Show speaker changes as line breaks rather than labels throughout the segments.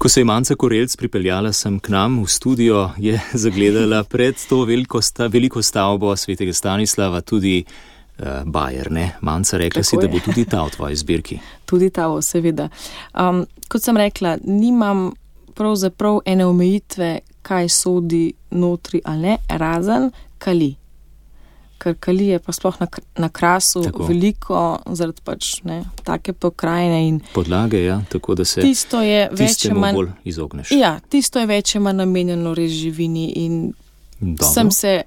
Ko se je Manca Korelc pripeljala sem k nam v studio, je zagledala pred to veliko stavbo svetega Stanislava tudi bajer, ne? Manca, rekla si, da bo tudi ta v tvoji zbirki.
Tudi ta, seveda. Kot sem rekla, nimam pravzaprav ene omejitve, kaj sodi notri ali ne, razen kali. Ker kali je pa sploh na Krasu veliko, zaradi pač take pokrajine in
podlage, ja, tako da se tistemu bolj izogneš.
Ja, tisto je več manj namenjeno res živini in sem se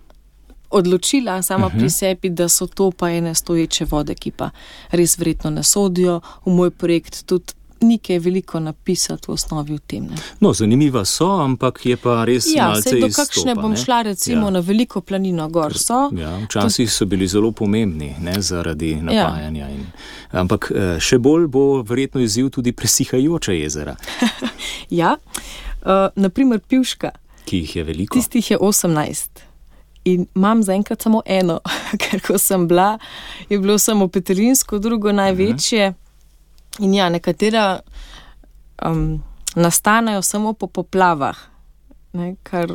odločila sama pri sebi, da so to pa ene stoječe vode, ki pa res verjetno ne sodijo v moj projekt, tudi nekaj veliko napisati v osnovi v tem. Ne.
No, zanimiva so, ampak je pa res malce izstopa.
Ja, do kakšne bom šla recimo na veliko planino gor so.
Ja, včasih so bili zelo pomembni, ne, zaradi napajanja. Ampak še bolj bo verjetno izziv tudi presihajoča jezera.
Ja, naprimer Pivška.
Ki jih je veliko.
Tistih je 18. In imam zaenkrat samo eno, ker ko sem bila, je bilo samo Petrinsko, drugo največje. In ja, nekatera nastanejo samo po poplavah, ne, kar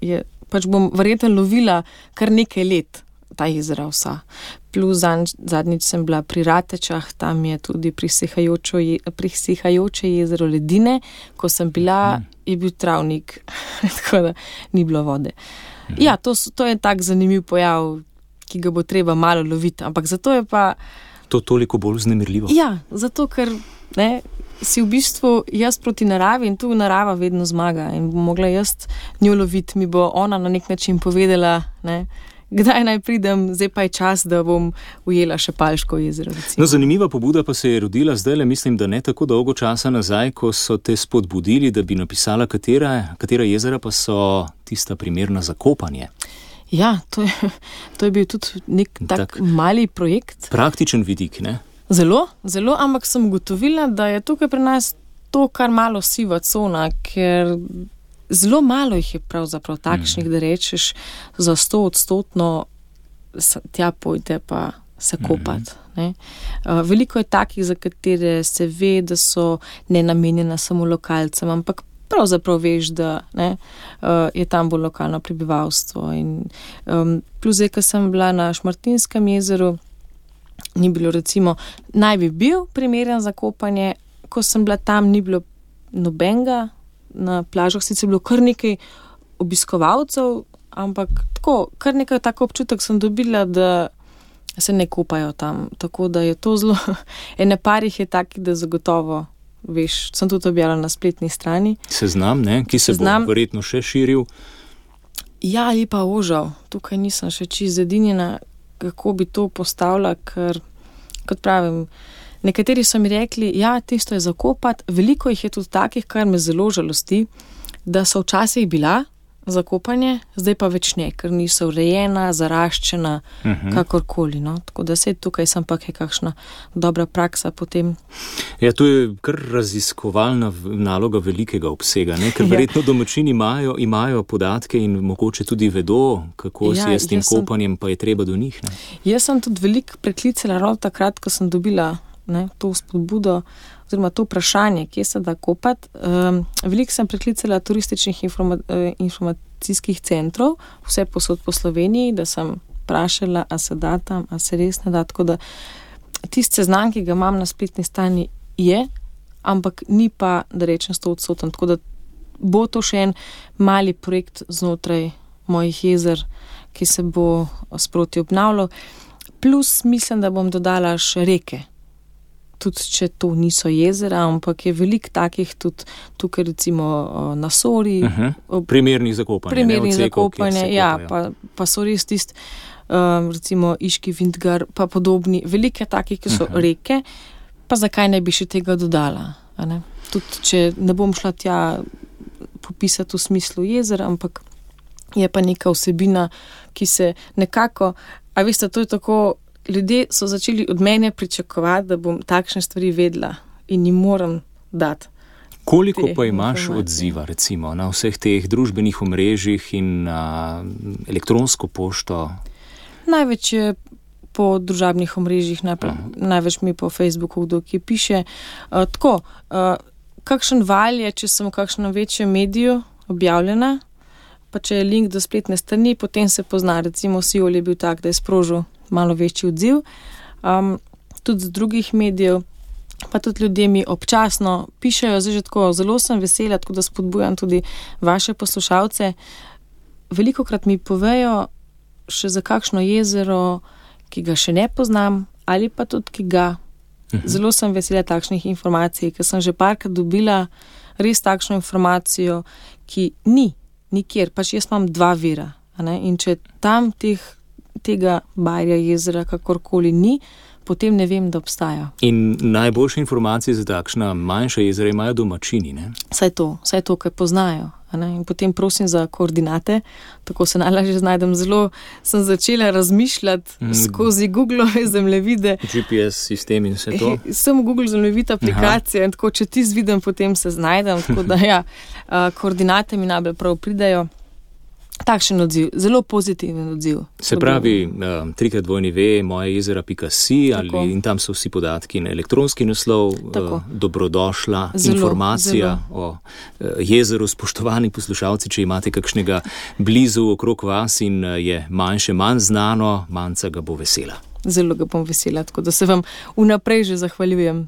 je, pač bom verjetno lovila kar nekaj let ta jezera vsa. Plus zadnjič sem bila pri Ratečah, tam je tudi prisihajoče jezero ledine, ko sem bila, je bil travnik, tako da ni bilo vode. Ja, to je tak zanimiv pojav, ki ga bo treba malo loviti, ampak zato je pa
to toliko bolj vznemirljivo.
Ja, zato ker si v bistvu jaz proti naravi in tu narava vedno zmaga in bom mogla jaz njo loviti, mi bo ona na nek način povedala, kdaj naj pridem, zdaj pa je čas, da bom ujela še Palško jezero. Recimo.
No, zanimiva pobuda pa se je rodila zdajle, mislim, da ne tako dolgo časa nazaj, ko so te spodbudili, da bi napisala, katera jezera pa so tista primerna za kopanje.
Ja, to je bil tudi nek tak mali projekt.
Praktičen vidik, ne?
Zelo, zelo, ampak sem ugotovila, da je tukaj pri nas to kar malo siva cona, ker zelo malo jih je pravzaprav takšnih, da rečeš za 100% tja pojde pa se kopati. Veliko je takih, za katere se ve, da so nenamenjena samo lokalcem, ampak pravzaprav veš, da je tam bolj lokalno prebivalstvo. Plus zdaj, ko sem bila na Šmartinskem jezeru, ni bilo recimo, naj bi bil primeren za kopanje, ko sem bila tam, ni bilo nobenega, na plažah sicer bilo kar nekaj obiskovalcev, ampak tako, kar nekaj tako občutek sem dobila, da se ne kopajo tam. Tako da je to zelo, ene parih je taki, da zagotovo veš, sem tudi objavila na spletni strani.
Seznam, ne? Ki se bo verjetno še širil.
Ja, ali pa ožal. Tukaj nisem še čisto zedinjena, kako bi to postavila, ker, kot pravim, nekateri so mi rekli, ja, tisto je zakopati, veliko jih je tudi takih, kar me zelo žalosti, da so včasih bila za kopanje, zdaj pa več ne, ker niso urejena, zaraščena, kakorkoli. No? Tako da se tukaj sem pa kakšna dobra praksa potem.
Ja, to je kar raziskovalna naloga velikega obsega, ne? Ker verjetno domačini imajo podatke in mogoče tudi vedo, kako si je s tem kopanjem, pa je treba do njih. Ne?
Jaz sem tudi veliko preklicala ravno takrat, ko sem dobila to spodbudo, oziroma to vprašanje, kje se da kopati. Veliko sem preklicala turističnih informacijskih centrov, vse posod po Sloveniji, da sem vprašala, a se da tam, a se res ne da. Tako da tist seznam, ki ga imam na spletni strani, je, ampak ni pa, da rečem 100%. Tako da bo to še en mali projekt znotraj mojih jezer, ki se bo sproti obnavljal. Plus mislim, da bom dodala še reke. Tudi če to niso jezera, ampak je veliko takih tudi tukaj recimo na Sori.
Primernih za kopanje.
Primernih za kopanje, ja, pa so res tisti, recimo Iški Vintgar, pa podobni. Veliko je takih, ki so reke, pa zakaj ne bi še tega dodala? Ne? Tudi če ne bom šla tja popisati v smislu jezera, ampak je pa neka vsebina, ki se nekako, a veste, to je tako, ljudje so začeli od mene pričakovati, da bom takšne stvari vedela in jim moram dati.
Koliko pa imaš odziva, recimo, na vseh teh družbenih omrežjih in na elektronsko pošto?
Največ je po družabnih omrežjih, največ mi po Facebooku, kdo ki piše. Tako, kakšen val je, če sem v kakšnem večjem mediju objavljena, pa če je link do spletne strani, potem se pozna, recimo Siol je bil tak, da je sprožil malo večji odziv. Tudi z drugih medijev, pa tudi ljudje mi občasno pišejo, zdaj že tako, zelo sem vesela, tako da spodbujam tudi vaše poslušalce. Velikokrat mi povejo še za kakšno jezero, ki ga še ne poznam, ali pa tudi, ki ga. Zelo sem vesela takšnih informacij, ker sem že parkrat dobila res takšno informacijo, ki ni nikjer, pač jaz imam 2 vira. In če tam tega Bajerja jezera kakorkoli ni, potem ne vem, da obstaja.
In najboljše informacije za takšna manjša jezera imajo domačini, ne?
Saj to, kaj poznajo. In potem prosim za koordinate, tako se najlažje znajdem. Zelo sem začela razmišljati skozi Google-ove zemljevide.
GPS sistem in vse to?
Sem Google zemljevid aplikacija in tako, če ti vidim, potem se znajdem. Tako da koordinate mi najbolj prav pridejo. Takšen odziv, zelo pozitiven odziv.
Se pravi, 3x2 mojejezera.si in tam so vsi podatki na elektronski naslov, dobrodošla informacija o jezeru. Spoštovani poslušalci, če imate kakšnega blizu okrog vas in je manjše, manj znano, Manca ga bo vesela.
Zelo ga bom vesela, tako da se vam vnaprej že zahvaljujem.